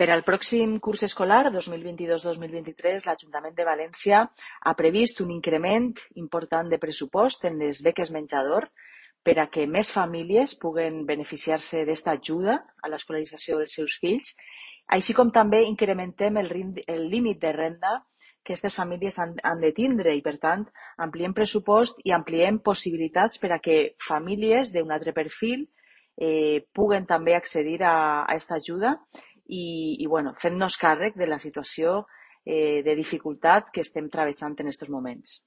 Per al pròxim curs escolar 2022-2023, l'Ajuntament de València ha previst un increment important de pressupost en les beques menjador per a que més famílies puguen beneficiar-se d'esta ajuda a l'escolarització dels seus fills, així com també incrementem el límit de renda que aquestes famílies han de tindre i, per tant, ampliem pressupost i ampliem possibilitats per a que famílies d'un altre perfil puguen també accedir a aquesta ajuda i bueno, fent-nos càrrec de la situació de dificultat que estem travessant en aquests moments.